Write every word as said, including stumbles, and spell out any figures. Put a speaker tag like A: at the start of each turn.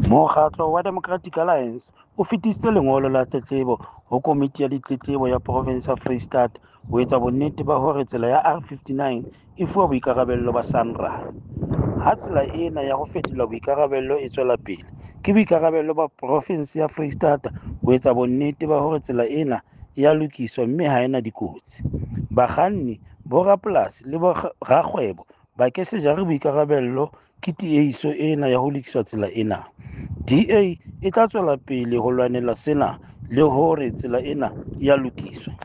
A: Mokgatlo wa Democratic Alliance o fetisitse lengolo la tletlebo ho Komiti ya Ditletlebo ya Provinse ya Freistata ho etsa bonnete ba hore tsela ya R fifty-nine e fuwa boikarabello ba SANRAL. Ha tsela ena ya ho fetola boikarabello e tswela pele, ke boikarabello ba Provinse ya Freistata ho etsa bonnete ba hore tsela ena e a lokiswa mme ha e na dikotsi. Bakganni, borapolasi le borakgwebo ba ke se jare boikarabello ke tiehiso ena ya ho lokisa tsela ena. D A e tla tswela pele ho lwanela sena le hore tsela ena e a lokiswa.